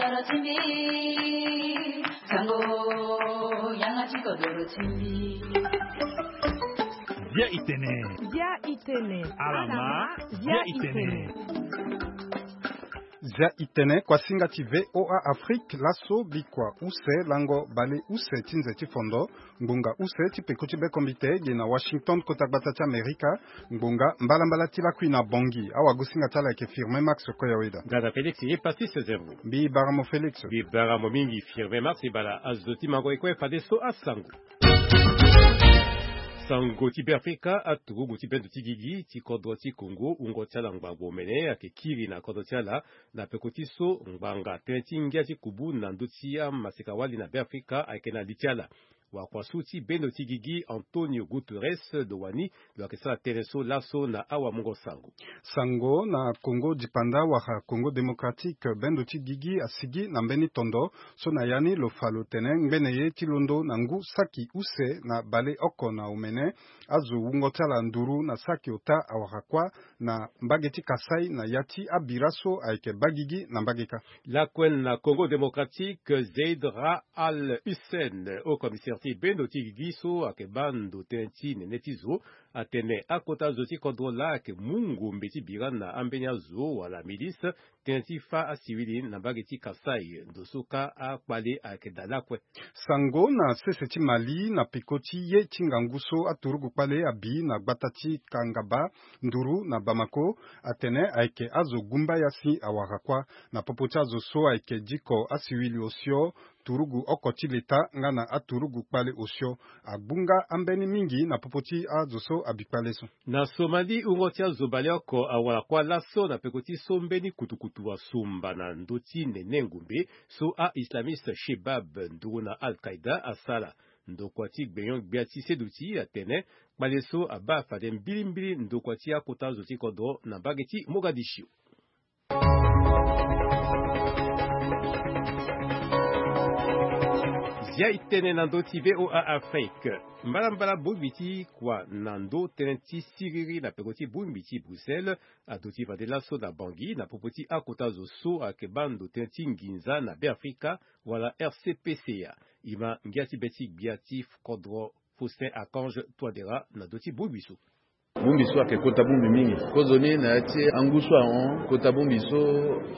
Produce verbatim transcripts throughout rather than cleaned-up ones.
Zia itene. Zia itene. Alama. Zia itene. Zia itene, kuasinga ti VOA Afrique, laso bikua use, lango bale use ti nze ti fondo, ngbonga use ti peko ti bekombite, ge na Washington, kota gbata ti Amerika, ngbonga mbalambala ti lakui na Bangui. Awagosinga ti ala ayeke Firmin Max Koyaweda. Gada Félix ye Pastis Zerbo. Mbi bara mo Félix. Mbi bara mo mingi Firmin Max, e bara azo ti mango e kue fadeso asango. Sango ti Beafrika, aturugu ti bendo ti gigi ti kodro ti Congo, wungo ti ala ngbangbo omene ayeke kiri na kodro ti ala, na peko ti so ngbanga tënë ti ngia ti kubu na ndö ti amaseka-wali na Beafrika ayeke na li ti ala. Wakua-su ti bendo ti gigi Antonio Guterres lo wani lo yeke sara tënë so laso na awamungo sango. Sango na Congo dipanda wala Congo Démocratique, bendo ti gigi asigi na mbeni tondo so na ya ni lo fa lo tene ngbene ye ti londo na ngu saki use na baleoko na omene, azo wungo ti ala nduru na saki ota awara kuâ na mbage ti Kasaï na ya ti abira so ayeke baa gigi na mbage kâ. Lakue na Congo Démocratique, Zeid Ra'ad Al Hussein, haut commissaire ti bendo ti gigi so ayeke baa ndo tënë ti nene ti zo, atene akota zo ti kodro laa ayeke mu ngombe ti bira na ambeni azo wala milice, tënë ti fâ asiwili na mbage ti Kasaï, ndo so kâ akpale ayeke daa lakue. Sango na sese ti Mali, na peko ti ye ti ngangu so aturugu kpale abi na gbata ti Kangaba, nduru na Bamako, atene ayeke azo gumbaya si awara kuâ, na popo ti azo so ayeke diko asiwili osio, turugu oko ti leta nga na aturugu kpale osio. Agbunga ambeni mingi na popo ti azo so abi kpale so. Na Somalie, wungo ti azo baleoko awara kuâ laso na peko ti so mbeni kutukutu asomba na ndö ti nene ngombe so a-islamiste Shebab nduru na Al-Qaïda asara. Ndokua ti gbenyo-gbia ti seduti atene kpale so abaa fade mbilimbili ndokua ti akota zo ti kodro na mbage ti Mogadiscio. Zia itene na ndö ti VOA Afrique. Mbalambala bongbi ti kua na ndö tënë ti siriri na peko ti bongbi ti Bruxelles aduti fade laso na Bangui na popo ti akota zo so ayeke baa ndo tënë ti nginza na Beafrika wala R C P C A. E ma ngia ti be ti gbia ti kodro Faustin Archange Touadéra na ndö ti bongbi so. Bongbi so ayeke kota bongbi mingi. Kozoni na ya ti angu so ahon, kota bongbi so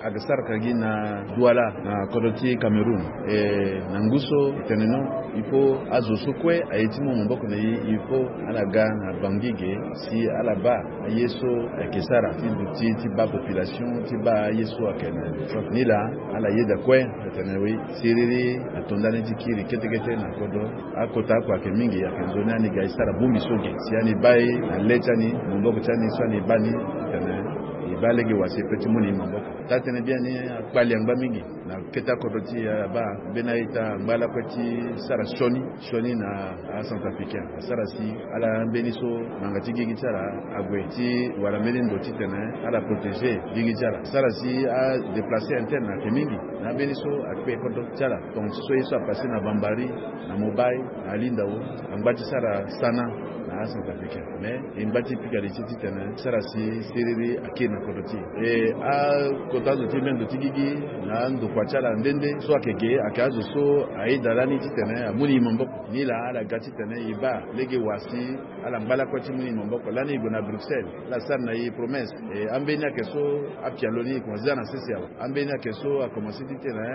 ayeke saraka gi na Douala na kodro ti Cameroun. E na ngu so e tene no, il faut azo so kue aye ti mu maboko na e, il faut ala ga na Bangui ge si ala baa aye so ayeke sara ti duti ti baa population ti baa aye so ayeke na ni laa. Ala yeda kue atene oui, siriri ato ndani ti kiri kete kete na kodro. Akota oko ayeke mingi, ayeke nzoni ani ga e sara bongbi so ge si ani baa e na le ti ani, maboko ti ani so ani baa ni, atene e baa lege wa si e pe ti mu na e maboko. Taa-tënë biani akpali angba mingi na kete akodro ti e. Abaa mbeni a-ita angba lakue ti sara sioni sioni na acentrafricain. Asara si ala mbeni so ngbanga ti gigi ti ala ague ti wara mbeni ndo titene ala protéger gigi ti ala. Asara si adéplacer interne ayeke mingi. Na ambeni so akpe kodro ti ala, tonga ti so ye so apasser na Bambari, na Mobay, na Alindao, angba ti sara sana na acentrafricain. Mais e ngba ti pika li ti titene sara si siriri akiri na kodro ti e. E akota azo ti mendo ti gigi na andokua ti ala nde nde so ayeke ge, ayeke azo so ayeda lani titene amu na e maboko. Ni laa ala ga titene e baa lege wa si ala ngba lakue ti mu na e maboko. Lani e gue na Bruxelles, ala sara na e promesse. E ambeni ayeke so apialo ni e komanse za na sese awe. Ambeni ayeke so akomanse titene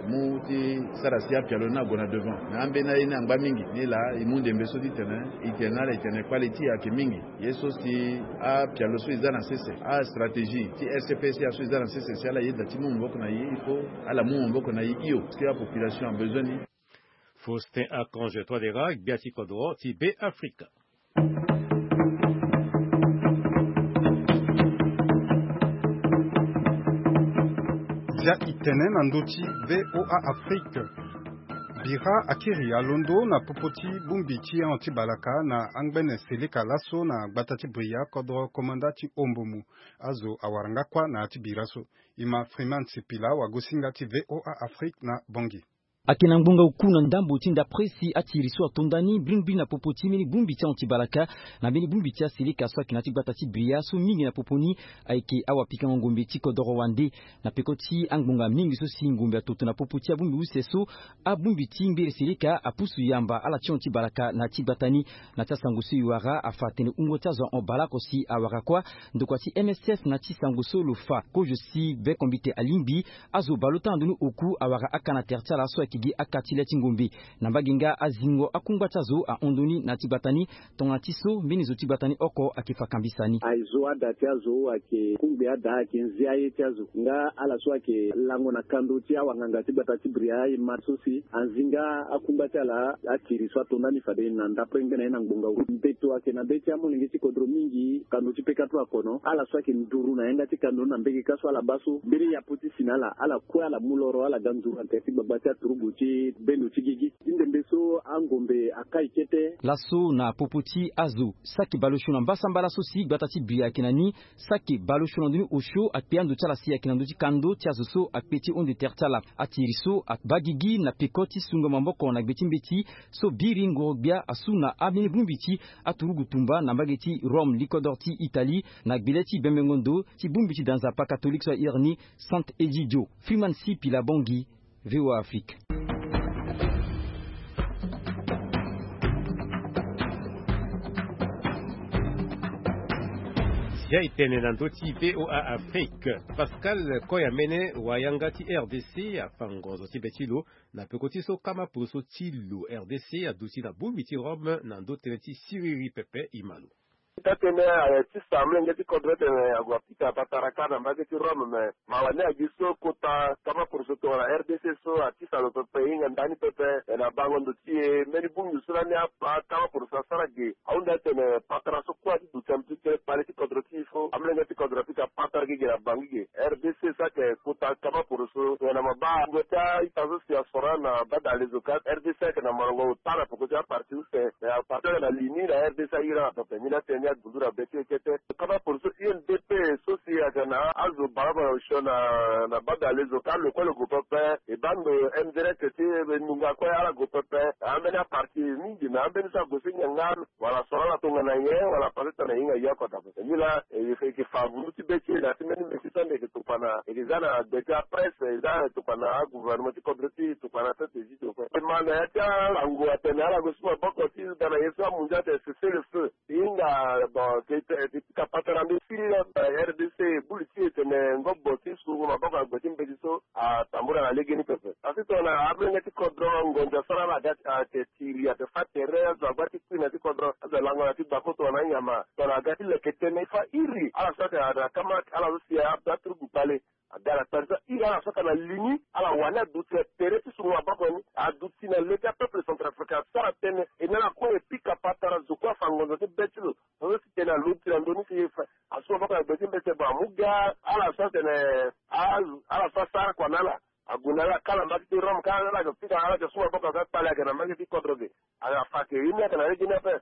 amu ti sara si apialo ni ague na devant. Na ambeni aye ni angba mingi. Ni laa e mu ndembe so titene e tene na ala e tene kpale ti e ayeke mingi. Ye so si apialo so e za na sese, astratégie ti R C P C A so e za na sese, si ala yeda ti mu maboko na e, il faut ala mu maboko na e hio, parce que apopulation abezoin ni. Faustin Archange Touadéra, gbia ti kodro ti Beafrika. Zia itene na ndö ti VOA Afrique. Bira akiri alondo na popo ti bongbi ti ahon ti balaka na angbene seleka laso na gbata ti Bria, kodro komanda ti Ombomu. Azo awara nga kuâ na ya ti bira so. E ma Freeman Sipila, wagosinga ti VOA Afrique na Bangui. Ayeke na ngbonga oku na ndambo ti ndapre si atiri so ato ndani mbirimbiri na popo ti mbeni bongbi ti ahon ti balaka, na mbeni bongbi ti aseleka so ayeke na ya ti gbata ti Bria so mingi na popo ni ayeke awapikango ngombe ti kodoro wande. Na peko ti angbonga mingi so si ngombe atoto na popo ti abongbi use so, abongbi ti mbere seleka apusu yamba ala ti hon ti balaka na ya ti gbata ni. Na ti asango so e wara afa atene wungo ti azo ahon baleoko si awara kuâ. Ndokua ti M S F na ti sango so lo fa kozo si bekombite alingbi azo baleota na ndoni oku awara aka na tere ti ala so ayeke gi aka ti le ti ngombe. Na mbage nga azingo akungba ti azo ahon ndoni na ya ti gbata ni. Tongana ti so mbeni zo ti gbata ni oko ayeke fa kambisa ni. Aye zo ada ti azo ayeke kungbi ada ayeke nze aye ti azo nga ala so ayeke lango na kando ti awanganga ti gbata ti Bria e ma so si anzinga akungba ti ala. Atiri so ato ndani fade na ndapre ngbene aye na ngbonga uru mbeto ayeke na be ti amolenge ti kodro mingi kando ti peka tu akono ala so ayeke nduru na yanga ti kando na mbege ka so ala baa so mbeni yapo ti si na ala ala kue ala mu loro ala ga nduru na tere ti gbagba ti aturugu ti bendo ti gigi ti ndembe so angombe akai kete. Laso na popo ti azo saki baleosio na mbasambala so si gbata ti Bria ayeke na ni. Saki baleosio na ndoni osio akpe ando ti ala si ayeke na ndö ti kando ti azo so akpe ti honde tere ti ala. Atiri so abaa gigi na peko ti sungo maboko na gbe ti mbeti so biri ngoro gbia asu na ambeni bongbi ti aturugu tumba na mbage ti Rome likodoro ti Italie na gbele ti bembengo ndo ti bongbi ti da nzapa katolike so ahiri ni Sante Egidio. Freeman C Pila Bongi, V O A Afrique. Zia e tene na ndö ti V O A Afrique. Pascal Koyamene, wayanga ti R D C, afa ngonzo ti be ti lo na peko ti so kama poroso ti lo R D C aduti na bongbi ti Rome na ndö tënë ti siriri pepe. E ma lo. Ita tene aye ti sa mlenge ti kodro tene ague apika patara kâ na mbage ti Rome me mawa ni agi so kota kama poroso tongana R D C so atisa lo pepe e hinga ndani pepe. Na bango ndo ti e mbeni bongbi so lani akama poroso asara ge ahunda tene patara so kue ati duti na mbi ti kere kpale ti kodro ti e so amlenge ti kodro apika patara ge ge na bangi ge. R D C so ayeke kota kama poroso tongana mabaa ngue ti a-ita so si asoro na badale zo ka R D C ayeke na molongo ota na peko ti aparti use. Me aparti ayeke na li ni na R D C ahiri ala pepe ngi na tene ni agundu na be ti e kete. Kama poroso U N D P so si ayeke na azo balabala osio na badale zo ka lo kue lo gue pepe. E baa ndo M D R F ti e nunga kue ala gue pepe. Ambeni aparti mingi me ambeni so ague so nyen nga wala soro ala tongana nyen wala pase tongana e hinga ye oko daa. Nila e yeke fa ngundu ti be ti e na ya ti mbeni mbeti so ande e yeke tokua na e yeke za na gbe ti apresse e za tokua na agouvernement ti kodro ti e tokua na sete zi tokua e ma na ya ti alango atene ala gue su maboko ti ga na ye so amunzu atene cessez le feu. E hinga bon ti pika patara mbi siri na R D C bulu ti e tene ngobo ti sungo maboko na gbe ti mbeti so atambula na legeni pepe. Asi tongana amolenge ti kodro ngonzo asara ala ga ayeke tiri ayeke fa tere azo agba ti kui na ya ti kodro azo alango na ya ti gbako tongana anyama tongana aga ti leke tënë e fa iri ala so ayeke na kama ala so si aturugu kpale. Aga na kpale so iri ala so ayeke na li ni ala wani aduti na tere ti sungo maboko ni aduti na le ti apeuple centrafricain asara tënë e na ala kue e pika patara zo kue afa ngonzo ti be ti lo. Azo si tene aloti na ndö ni si asu maboko na gbe ti mbeti bon amu ga ala so atene ala so asara kua na ala. Ague na ala kâ na mbage ti Rome kâ na ala yeke pika ala yeke su maboko aga kpale ayeke na mbage ti kodro ge. Ala fa ayeke ye ni ayeke na legeni ape.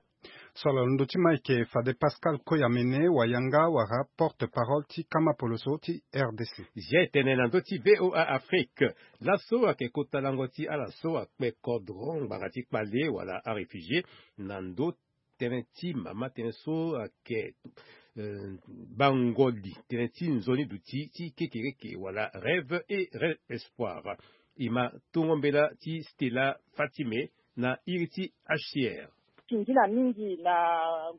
So ala londo ti ma ayeke fade Pascal Koyamene wayanga wala porte parole ti kama poloso ti R D C. Zia e tene na ndö ti V O A Afrique. Laso ayeke kota lango ti ala so akpe kodro ngbanga ti kpale wala aréfugié na ndö tënë ti mama tënë so ayeke bangoli tënë ti nzoni duti ti kekereke wala rêve et rêve espoir. E ma tongo mbela ti Stella Fatime na iri ti H C R. Singila mingi na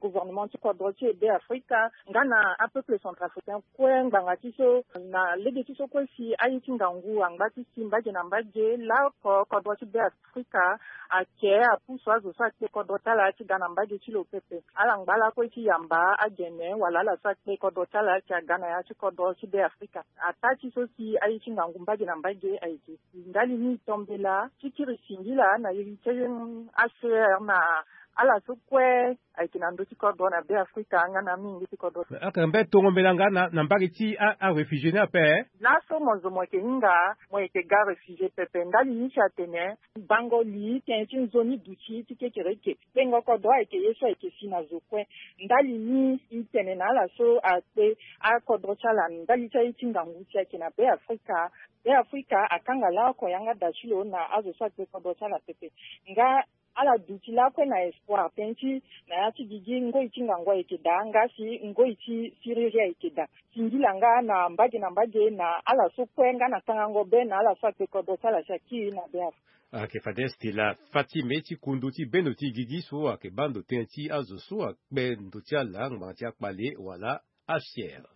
gouvernement ti kodro ti e Be Afrika nga na apeuple centrafricain kue ngbanga ti so na lege ti so kue si aye ti ngangu angba ti si mbage na mbage laoko kodro ti Be Afrika ake apusu azo so akpe kodro ti ala ti ga na mbage ti lo pepe. Ala ngba lakue ti yamba agene wala ala so akpe kodro ti ala ti aga na ya ti kodro ti Be Afrika. Ataa ti so si aye ti ngangu mbage na mbage ayeke si ndali ni tombela ti kiri singila na iri ti H C R na Ala so kue ayeke na ndö ti kodro na Be Afrika nga na mingi ti kodro. Aka mbe tongo mbela nga na, na mbage ti a, a réfugié ni ape. Laso mo zo mo yeke hinga, mo yeke ga réfugié pepe. Ndali ni si atene bango li tënë ti nzoni duti ti kekereke. Kpengo kodro ayeke ye so ayeke si na zo kue. Ndali ni i tene na ala so akpe akodro ti ala ndali ti aye ti ngangu si ayeke na Be Afrika. Be Afrika akanga laoko yanga da ti lo na azo so akpe kodro ti ala pepe. Nga ala duti lakue na espoir tënë ti na ya ti gigi ngoi ti ngangu ayeke daa nga si ngoi ti siriri ayeke daa. Singila nga na mbage na mbage na ala so kue nga na tangango be na ala so akpe kodro ti ala si akiri na be afa. Ayeke fade Stella Fatime ti kundu ti bendo ti gigi so ayeke baa ndo tënë ti azo so akpe ndo ti ala ngbanga ti akpale wala afiere.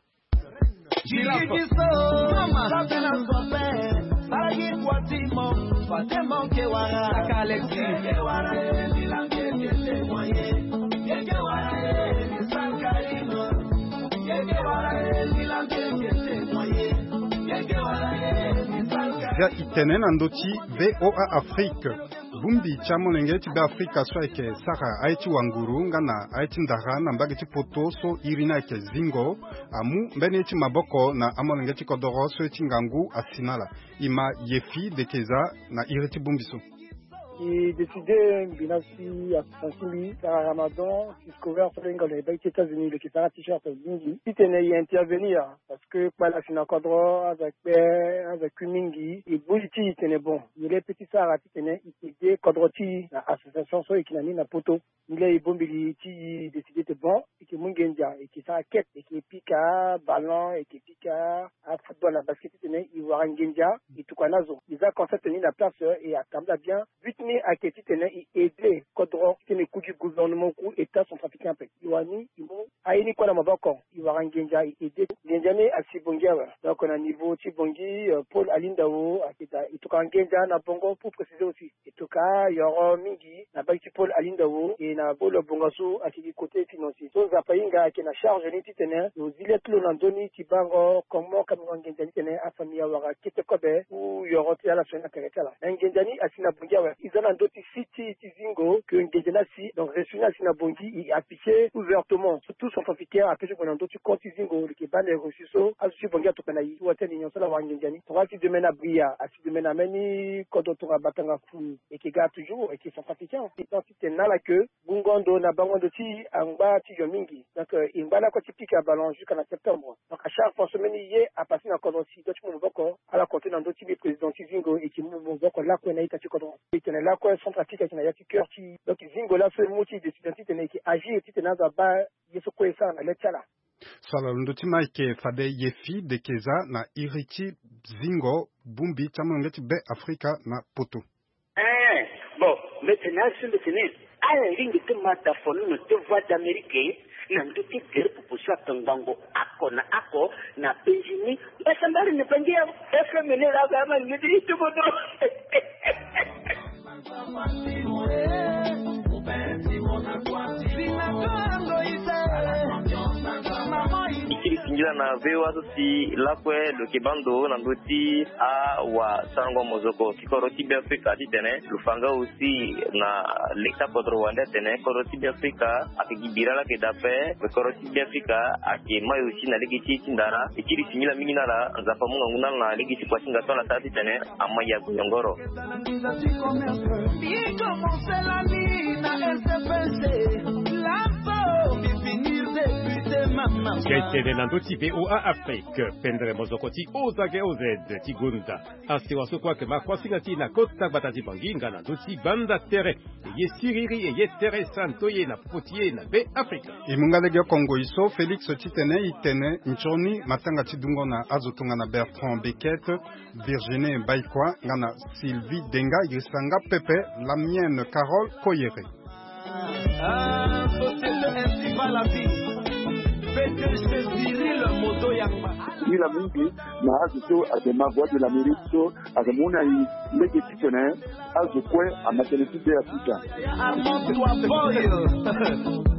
Via itene na ndö ti VOA Afrique. Bongbi ti amolenge ti Be Afrika so ayeke sara aye ti wanguru nga na aye ti ndara na mbage ti poto so iri ni ayeke Zingo amu mbeni ye ti maboko na amolenge ti kodoro so ye ti ngangu asi na ala. E ma Yefi Dekeza na iri ti bongbi so. E décidé mbi na si association ti mbi sara Ramadan, si scolaire so lo hinga lo na e baa ti États-Unis lo yeke sara t-shirt mingi titene e intervenir. Parce que kpale asi na kodro, azo akpe, azo akui mingi. E bongbi ti e tene bon, e laa e pe ti sara titene e aidé kodro ti e na association so e yeke na ni na poto. Nilaa e bongbi li ti e décidé tene bon, e yeke mu nginza, e yeke sara kete, e yeke pika ballon, e yeke pika afootball na basket titene e wara nginza, e tokua na azo. E za concept ni na place, e atambula bien. But ni ayeke titene e aidé kodro titene e ku gi gouvernement ku État centrafricain ape. E wara ni e mu aye ni kue na maboko. E wara nginza, e aidé. Nginza ni asi Bangui awe. Donc na niveau ti Bangui, euh, Paul Alindao ayeke daa, e tokua nginza na Bongo pour préciser aussi. E tokua yoro mingi na bage ti Paul Alindao, e na Paul Bongasu ayeke gi côté financier. So Nzapa ahinga ayeke na charge ni titene lo zi le ti lo na nzoni ti bango comment ka mingo nginza ni titene afamille awara kete kobe ou yoro ti ala so ni na tere ti ala. Na nginza ni asi na Bangui awe. E za na ndö ti site ti Zingo que nginza ni asi, donc reçu ni asi na Bangui, e affiché ouvertement. Tout centrafricain ape ti gue na ndö ti compte ti Zingo, lo yeke baa na reçu so azo ti Bangui atokua na e ti wara ti alliance so ala wara nginza ni. Tongana ti demain na Bria, asi demain na mbeni kodro tongana Batanga Fulu, e yeke ga toujours, e yeke centrafricain. E tene na ala que gungo ndo na bango ndo ti e angba ti yo mingi. Donc, euh, e ngba lakue ti pika ballon jusqu'à na septembre. Donc à chaque fois so mbeni ye apassé na kodro si e doit ti mu maboko, ala continue na ndö ti mbi président ti Zingo, e yeke mu maboko lakue na ita ti kodro. E tene lakue Centrafrique ayeke na ya ti cœur ti e. Donc Zingo laso e mu ti décision titene e yeke agir titene azo abaa ye so kue e sara na le ti ala. So ala londo ti ma ayeke fade Yefi Dekeza na iri ti Zingo, bongbi ti amolenge ti Be Afrika na poto. Eh, bon, mbi tene azo mbi tene ala lingbi ti ma da fonono ti Voix d'Amérique na ndö ti gere popo so atongbango oko na oko na Benjini. Mbasambari ni Bangui awe. F M ni la ga ma ni ti tobodo. E kiri singila na V O A so si lakue lo yeke baa ndo na ndö ti awasango mozoko ti kodro ti Be Afrika titene lo fa nga aussi na lege ti akodro wande atene kodro ti Be Afrika ayeke gi bira laa ayeke daa ape, kodro ti Be Afrika ayeke mai aussi na lege ti ti ndara. E kiri singila mingi na ala, Nzapa amu ngangu na ala na lege ti kua ti nga so ala sara titene ama ya goyongoro. Ge tene na ndö ti V O A Afrique, pendere mozoko ti O Z G O Z ti gonda. Asewa so kue ayeke ma kuasinga ti e na kota gbata ti Bangui nga na ndö ti banda tere. E ye siriri, e ye tere santo ye na popo ti e na Be Afrika. E mu nga lege oko ngoi so Félix titene e tene nzoni matanga ti dungo na azo tongana Bertrand Beckett, Virginie Baïkoi nga na Sylvie Denga, e sanga pepe Lamienne Carole Koyere. Ah, société estivale à vie. P D G Cyril Moto Yamba. Singila mingi na azo so ayeke ma Voix de l'Amérique so ayeke mu na e lege titene azo kue amatene ti Be Afrika. Armand Toiboy.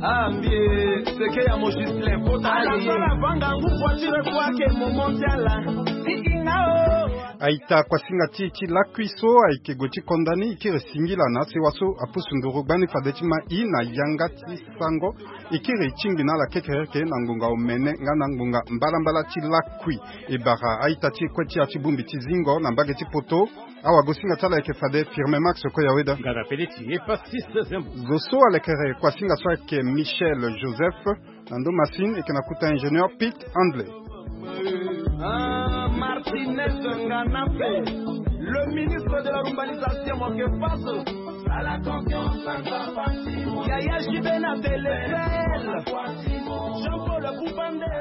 Ah, mbie, seke ya mo Justin. Ala so ala vanga ngu voiture kue ayeke moment ti ala. Ti hinga o. Aita kuasinga ti ti lakui so ayeke gue ti konda ni, e kiri e singila na asewa so apusu nduru gbani fade ti ma i na yanga ti sango. E kiri e tingbi na ala kekereke na ngbonga omene nga na ngbonga mbalambala ti lakui. E bara aita ti e kue ti ya ti bongbi ti zingo na mbage ti poto. Awagosinga ti ala ayeke fade Firme Max Koyaweda. Ngana pele ti e pa six zembo. Zo so alekere kuasinga so ayeke Michel Joseph. Na ndo masine eke na kuta ingénieur Pete Handley. Ah, Martinez Nganape, le ministre de la Urbanisation, mon que passe. Yaya Jibena Telefel, Jean-Paul Boubande.